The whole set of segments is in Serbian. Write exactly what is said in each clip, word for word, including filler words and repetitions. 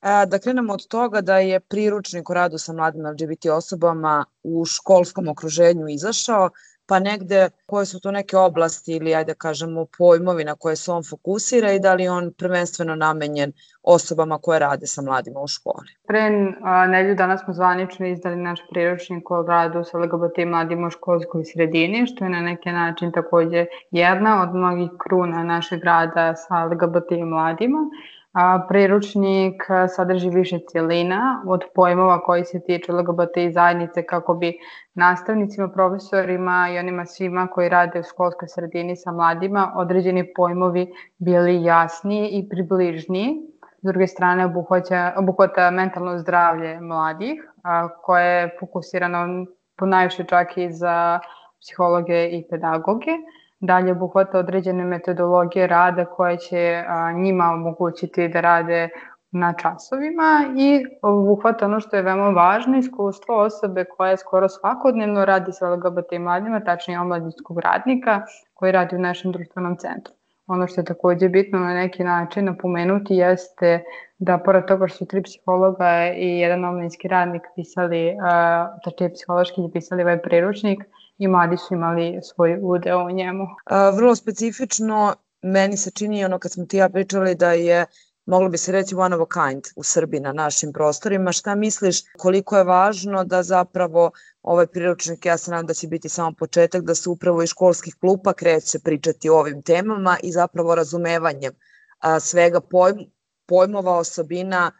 A, da krenemo od toga da je priručnik o radu sa mladim L G B T osobama u školskom okruženju izašao, pa negde koje su to neke oblasti ili ajde da kažemo pojmovi na koje se on fokusira i da li je on prvenstveno namenjen osobama koje rade sa mladima u školi. Pre nedelju dana smo zvanično izdali naš priručnik o radu sa L G B T mladima u školskoj sredini, što je na neki način takođe jedna od mnogih kruna našeg rada sa L G B T mladima. A, priručnik sadrži više cijelina od pojmova koji se tiču L G B T zajednice kako bi nastavnicima, profesorima i onima svima koji rade u školskoj sredini sa mladima određeni pojmovi bili jasniji i približniji. S druge strane, obuhvata, obuhvata mentalno zdravlje mladih, a, koje je fokusirano ponajviše čak i za psihologe i pedagoge. Dalje obuhvata određene metodologije rada koje će a, njima omogućiti da rade na časovima i obuhvata ono što je veoma važno, iskustvo osobe koja skoro svakodnevno radi sa L G B T mladima, tačnije omladinskog radnika koji radi u našem društvenom centru. Ono što je takođe bitno na neki način napomenuti jeste da pored toga što su tri psihologa i jedan omladinski radnik pisali, tačnije psihološki je pisali ovaj priručnik, i mladi su imali svoj udeo u njemu. A, vrlo specifično, meni se čini ono kad smo ti ja pričali da je, moglo bi se reći one of a kind u Srbiji na našim prostorima. Šta misliš koliko je važno da zapravo ovaj priručnik, ja se nadam da će biti samo početak, da se upravo iz školskih klupa kreće pričati o ovim temama i zapravo razumevanjem a, svega pojm, pojmova, osobina,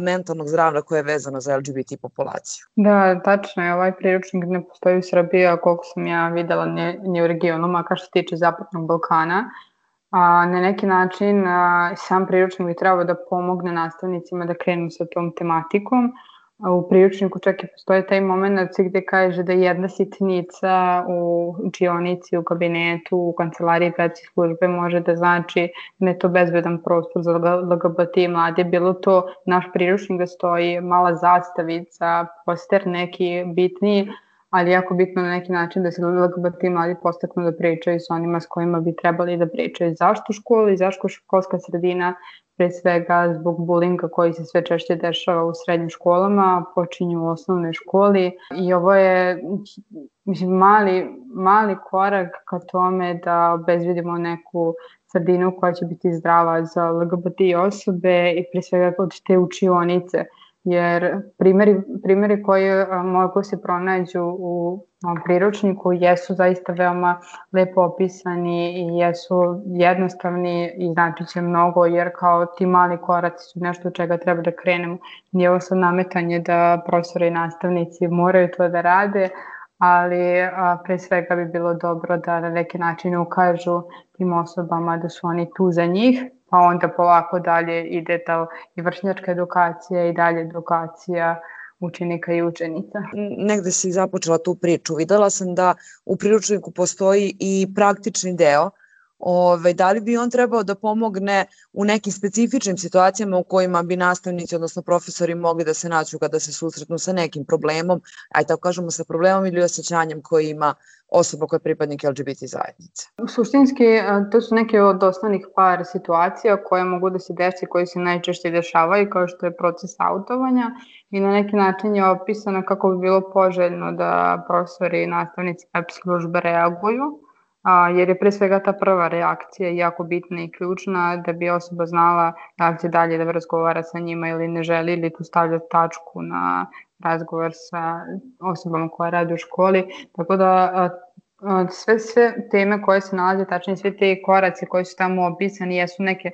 mentalnog zdravlja koje je vezano za L G B T populaciju. Da, tačno je, ovaj priručnik ne postoji u Srbiji, a koliko sam ja videla ni, ni u regionu, makar što se tiče Zapadnog Balkana. A, na neki način a, sam priručnik bi trebao da pomogne nastavnicima da krenu sa tom tematikom. A, u priručniku čak i postoje taj moment gde kaže da jedna sitnica u učionici, u kabinetu, u kancelariji gradske službe može da znači da je to bezbedan prostor za L G B T mlade. Bilo to naš priručnik da stoji mala zastavica, poster neki bitniji, ali jako bitno na neki način da se L G B T mladi postaknu da pričaju sa onima s kojima bi trebali da pričaju. Zašto u školi, zašto školska sredina, pre svega zbog bulinga koji se sve češće dešava u srednjim školama, počinju u osnovnoj školi i ovo je mislim, mali, mali korak ka tome da obezbedimo neku sredinu koja će biti zdrava za L G B T osobe i pre svega od te učionice. Jer primjeri, primjeri koji mogu se pronađu u priručniku jesu zaista veoma lepo opisani i jesu jednostavni i znači će mnogo, jer kao ti mali koraci su nešto od čega treba da krenemo. Nije ovo sad nametanje da profesori i nastavnici moraju to da rade, ali a, pre svega bi bilo dobro da na neki način ukažu tim osobama da su oni tu za njih, pa onda polako dalje ide ta i vršnjačka edukacija i dalje edukacija učenika i učenica. Negde si započela tu priču. Videla sam da u priručniku postoji i praktični deo. Ove, da li bi on trebao da pomogne u nekim specifičnim situacijama u kojima bi nastavnici, odnosno profesori mogli da se nađu kada se susretnu sa nekim problemom, aj tako kažemo sa problemom ili osjećanjem koji ima osoba koja je pripadnik L G B T zajednice? Suštinski, to su neke od osnovnih par situacija koje mogu da se desi, koje se najčešće dešavaju, kao što je proces autovanja i na neki način je opisano kako bi bilo poželjno da profesori i nastavnici web službe reaguju, a, jer je pre svega ta prva reakcija jako bitna i ključna da bi osoba znala da li će dalje da razgovara sa njima ili ne želi ili tu stavlja tačku na razgovor sa osobama koja rade u školi. Tako da a, a, sve, sve teme koje se nalaze, tačnije sve te koraci koji su tamo opisani jesu neke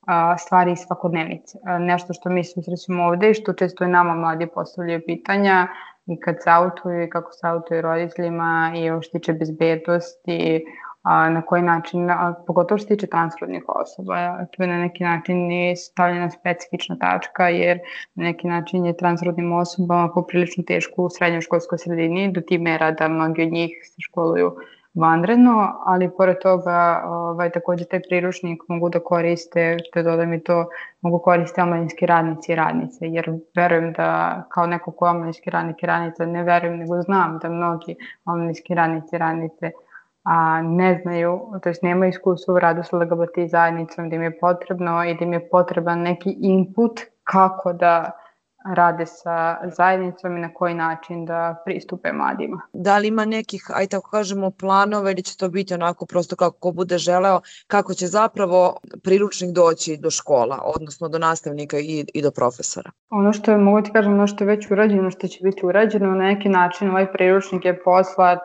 a, stvari iz svakodnevnice. A, nešto što mi susrećemo ovde i što često i nama mladi postavljaju pitanja i kad se autuju i kako se autuju roditeljima i ovo što tiče bezbednosti, a, na koji način, a, pogotovo što tiče transrodnih osoba. Tu je na neki način i stavljena specifična tačka jer na neki način je transrodnim osobama poprilično teško u srednjoj školskoj sredini do tih mera da mnogi od njih se školuju vanredno, ali pored toga ovaj, takođe taj priručnik mogu da koriste, te dodam i to, mogu koriste omladinski radnici i radnice, jer verujem da kao neko ko je omladinski radnik i radnica, ne verujem nego znam da mnogi omladinski radnici i radnice a ne znaju, to jest nemaju iskustva u radu sa L G B T zajednicom, da im je potrebno i da im je potreban neki input kako da rade sa zajednicom i na koji način da pristupe mladima. Da li ima nekih, aj tako kažemo, planova ili će to biti onako prosto kako ko bude želeo, kako će zapravo priručnik doći do škola, odnosno do nastavnika i, i do profesora? Ono što je, mogu ti kažem, ono što je već urađeno, što će biti urađeno, na neki način ovaj priručnik je poslat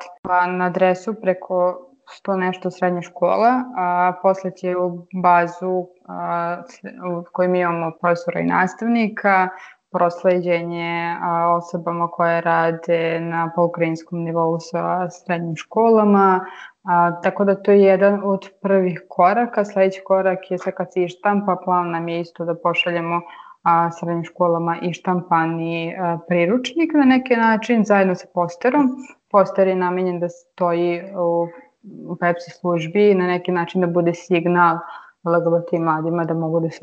na adresu preko sto nešto srednje škola, a posle će u bazu a, u kojoj mi imamo profesora i nastavnika, prosleđenje a, osobama koje rade na pokrajinskom nivou sa srednjim školama, a, tako da to je jedan od prvih koraka. Sledeći korak je sad kad se štampa, plan nam je isto da pošaljemo a, srednjim školama i štampani a, priručnik na neki način zajedno sa posterom. Poster je namenjen da stoji u u Pepsi službi, na neki način da bude signal L G B T mladima da mogu da se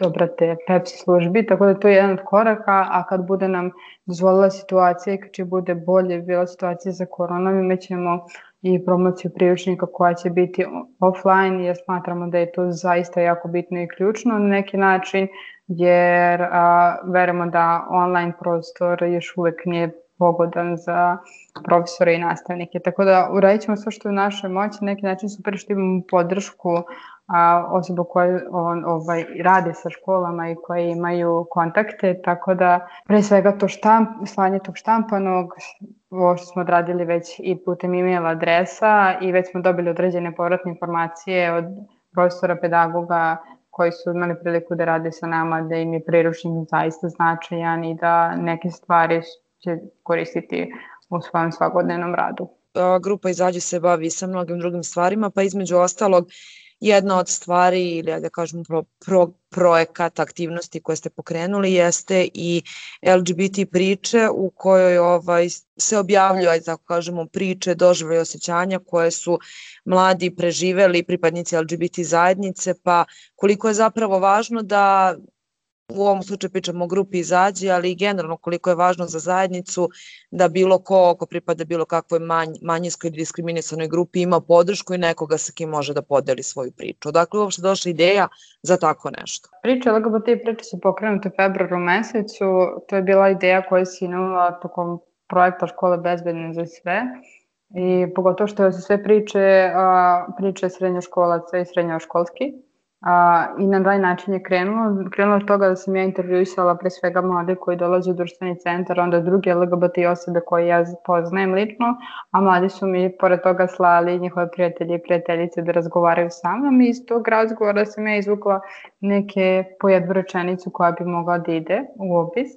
obrate Pepsi službi, tako da to je jedan od koraka, a kad bude nam dozvolila situacija i kad će bude bolje bila situacija za koronom, imat ćemo i promociju priručnika koja će biti offline, jer smatramo da je to zaista jako bitno i ključno na neki način, jer a, verujemo da online prostor još uvek nije pogodan za profesore i nastavnike. Tako da uradit ćemo sve što je u našoj moći, na neki način super što imamo podršku a, osoba koje on, ovaj, rade sa školama i koje imaju kontakte, tako da pre svega to štamp, slanje tog štampanog, ovo što smo odradili već i putem e-mail adresa i već smo dobili određene povratne informacije od profesora, pedagoga koji su imali priliku da rade sa nama, da im je priručnik zaista značajan i da neke stvari će koristiti u svojem svakodnevnom radu. Grupa Izađi se bavi sa mnogim drugim stvarima, pa između ostalog jedna od stvari ili da kažemo pro, pro, projekat aktivnosti koje ste pokrenuli jeste i L G B T priče u kojoj ovaj, se objavljuju, ajde tako kažemo, priče, doživljaje i osjećanja koje su mladi preživeli, pripadnici L G B T zajednice, pa koliko je zapravo važno da u ovom slučaju pričamo o grupi Izađi, ali i generalno koliko je važno za zajednicu da bilo ko, ko pripada bilo kakvoj manj, manjinskoj ili diskriminisanoj grupi ima podršku i nekoga sa kim može da podeli svoju priču. Odakle je uopšte došla ideja za tako nešto? Priče L G B T priče su pokrenute u februaru mesecu. To je bila ideja koja se inula tokom projekta Škole bezbedne za sve. I pogotovo što su sve priče, priče srednjoškolaca i srednjoškolski. A, I na taj način je krenulo. Krenulo od toga da sam ja intervjuisala pre svega mlade koji dolaze u društveni centar, onda druge L G B T osobe koje ja poznajem lično, a mladi su mi pored toga slali njihove prijatelje i prijateljice da razgovaraju sa mnom i iz tog razgovora sam ja izvukla neke po jednu rečenicu koja bi mogla da ide u opis.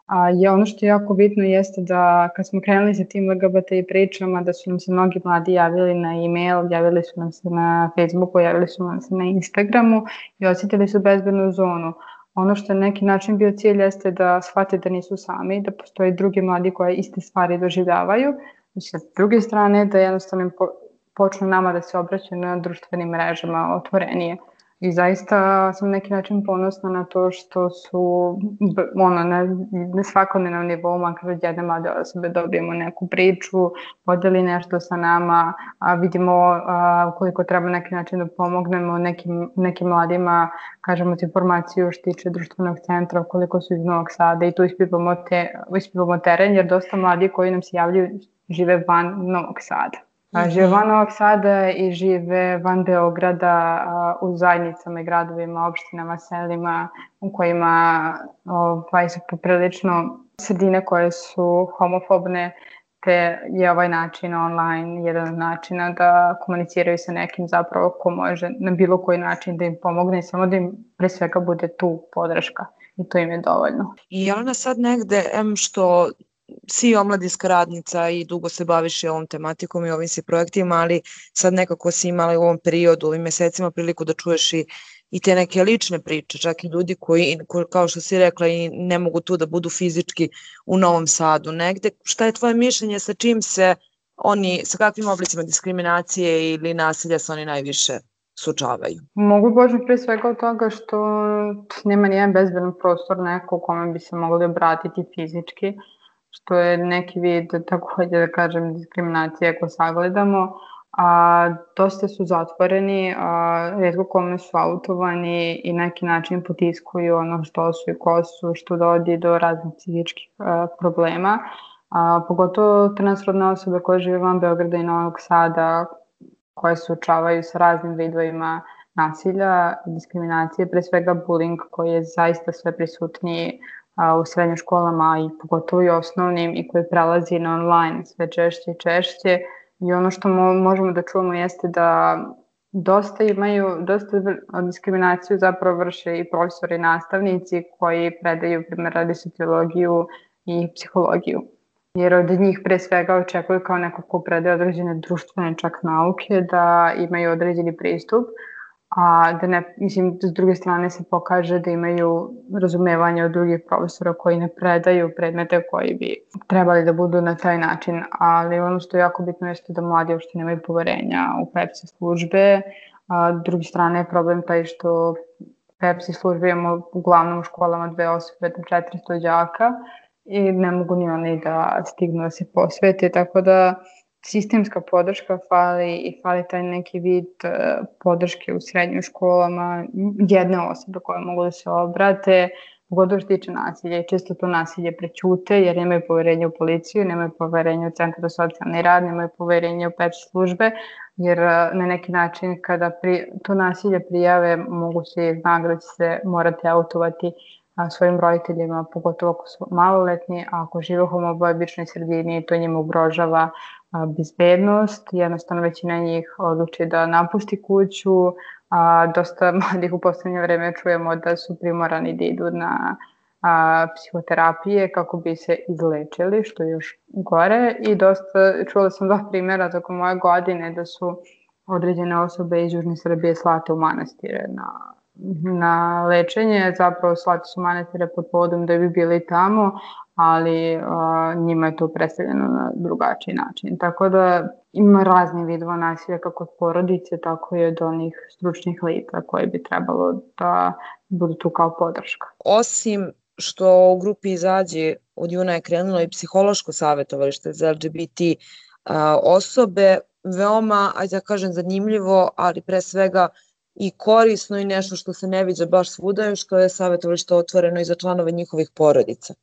A je ono što je jako bitno jeste da kad smo krenuli sa tim L G B T pričama, da su nam se mnogi mladi javili na e-mail, javili su nam se na Facebooku, javili su nam se na Instagramu i osjetili su bezbednu zonu. Ono što je neki način bio cilj jeste da shvate da nisu sami, da postoji drugi mladi koji iste stvari doživljavaju. I sa druge strane da jednostavno počnu nama da se obraćaju na društvenim mrežama otvorenije. I zaista sam neki način ponosna na to što su ono, na, na svakodnevnom nivou, makar od jedne mlade osobe dobijemo neku priču, podeli nešto sa nama, a vidimo a, koliko treba neki način da pomognemo nekim, nekim mladima, kažemo ti informaciju što tiče društvenog centra, koliko su iz Novog Sada i tu ispivamo, te, ispivamo teren, jer dosta mladi koji nam se javljaju žive van Novog Sada. A, žive van Novog Sada i žive van Beograda a, u zajednicama i gradovima, opštinama, selima u kojima ovaj, su poprilično sredine koje su homofobne, te je ovaj način online jedan od načina da komuniciraju sa nekim zapravo ko može na bilo koji način da im pomogne i samo da im pre svega bude tu podrška i to im je dovoljno. I Jelena sad negde, em što si omladinska radnica i dugo se baviš i ovom tematikom i ovim si projektima, ali sad nekako si imala u ovom periodu, u ovim mesecima priliku da čuješ i, i te neke lične priče, čak i ljudi koji, koji, kao što si rekla, i ne mogu tu da budu fizički u Novom Sadu. Negde, šta je tvoje mišljenje, sa čim se oni, sa kakvim oblicima diskriminacije ili nasilja se oni najviše suočavaju? Mogu početi pre svega od toga što nema nijedan bezbedan prostor neko u kome bi se mogli obratiti fizički, što je neki vid takođe da kažem diskriminacije ako sagledamo, a dosta su zatvoreni, a rijetko kome su autovani i na neki način potiskuju ono što su i ko su, što dovodi do raznih psihičkih a, problema. A, pogotovo transrodne osobe koje žive van Beograda i Novog Sada, koje se suočavaju sa raznim vidovima nasilja, diskriminacije, pre svega bullying koji je zaista sve prisutniji a, u srednjim školama i pogotovo i osnovnim i koji prelazi na online sve češće i češće. I ono što mo možemo da čujemo jeste da dosta imaju, dosta diskriminaciju zapravo vrše i profesori i nastavnici koji predaju, primjer, radi sociologiju i psihologiju. Jer od njih pre svega očekuju kao neko ko predaje određene društvene čak nauke da imaju određeni pristup, a da ne, mislim, s druge strane se pokaže da imaju razumevanje od drugih profesora koji ne predaju predmete koji bi trebali da budu na taj način, ali ono što je jako bitno jeste da mladi uopšte nemaju poverenja u PEPSI službe, a s druge strane je problem taj što PEPSI službe imamo uglavnom u školama dve osobe do četiristo đaka i ne mogu ni oni da stignu da se posvete, tako da sistemska podrška fali i fali taj neki vid uh, podrške u srednjim školama, jedne osobe koje mogu da se obrate, pogotovo što tiče nasilja i često to nasilje prećute jer nemaju poverenja u policiju, nemaju poverenja u centar za socijalni rad, nemaju poverenja u PEPSI službe, jer uh, na neki način kada pri, to nasilje prijave mogu se zna da će se morati autovati a, svojim roditeljima, pogotovo ako su maloletni, a ako žive u homofobičnoj sredini, to njima ugrožava a, bezbednost. Jednostavno većina njih odluči da napusti kuću, a dosta mladih u poslednje vreme čujemo da su primorani da idu na a, psihoterapije kako bi se izlečili, što je još gore. I dosta, čula sam dva primjera tokom moje godine da su određene osobe iz Južne Srbije slate u manastire na na lečenje, zapravo slati su manastire pod povodom da bi bili tamo, ali a, njima je to predstavljeno na drugačiji način. Tako da ima razni vidova nasilja kako od porodice, tako i od onih stručnih lica koje bi trebalo da budu tu kao podrška. Osim što u grupi Izađi od juna je krenulo i psihološko savjetovalište za L G B T a, osobe, veoma, ajde da kažem, zanimljivo, ali pre svega i korisno i nešto što se ne viđa baš svuda, što je savjetovalište otvoreno i za članove njihovih porodica.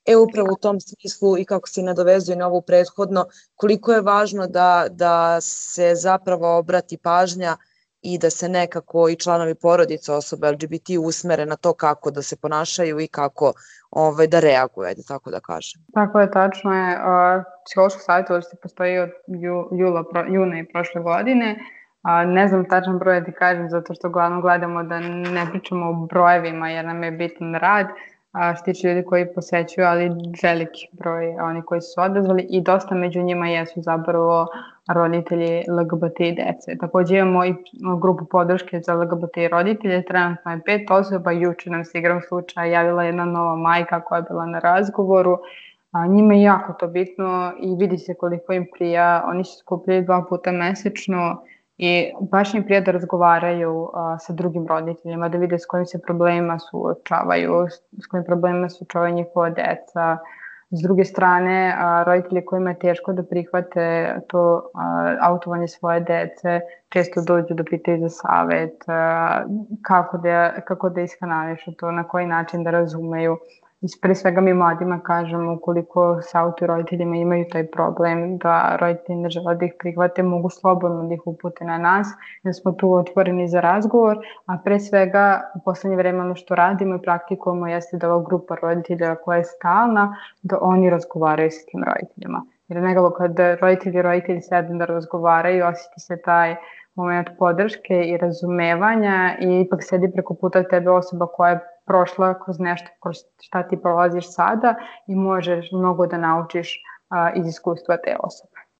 E, upravo u tom smislu i kako se nadovezuje na ovu prethodno, koliko je važno da, da se zapravo obrati pažnja i da se nekako i članovi porodica osobe L G B T usmere na to kako da se ponašaju i kako ovaj, da reaguju, ajde tako da kažem. Tako je, tačno je. Uh, psihološko savjetovalište postoji od ju, jula, pro, juna i prošle godine. A, ne znam tačan broj da ti kažem, zato što uglavnom gledamo da ne pričamo o brojevima jer nam je bitan rad, a, što tiče ljudi koji posećuju, ali veliki broj oni koji su odazvali i dosta među njima jesu zapravo roditelji L G B T dece. Takođe imamo i grupu podrške za L G B T roditelje, trenutno je pet osoba, juče nam se igrom slučaja javila jedna nova majka koja je bila na razgovoru. A, njima je jako to bitno i vidi se koliko im prija, oni se skupljaju dva puta mesečno i baš im prija da razgovaraju a, sa drugim roditeljima, da vide s kojim se problemima suočavaju, s kojim problemima suočavaju njihova deca. S druge strane, a, roditelji kojima je teško da prihvate to a, autovanje svoje dece, često dođu da pitaju za savet, a, kako da, kako da iskanališu to, na koji način da razumeju. I pre svega mi mladima kažemo ukoliko sa auto roditeljima imaju taj problem da roditelji ne žele da ih prihvate, mogu slobodno da ih upute na nas, jer smo tu otvoreni za razgovor, a pre svega u poslednje vreme ono što radimo i praktikujemo jeste da ova grupa roditelja koja je stalna, da oni razgovaraju sa tim roditeljima. Jer nekako kada roditelji i roditelji sednu da razgovaraju, osjeti se taj moment podrške i razumevanja i ipak sedi preko puta tebe osoba koja je prošla kroz nešto kroz šta ti prolaziš sada i možeš mnogo da naučiš a, iz iskustva te osobe.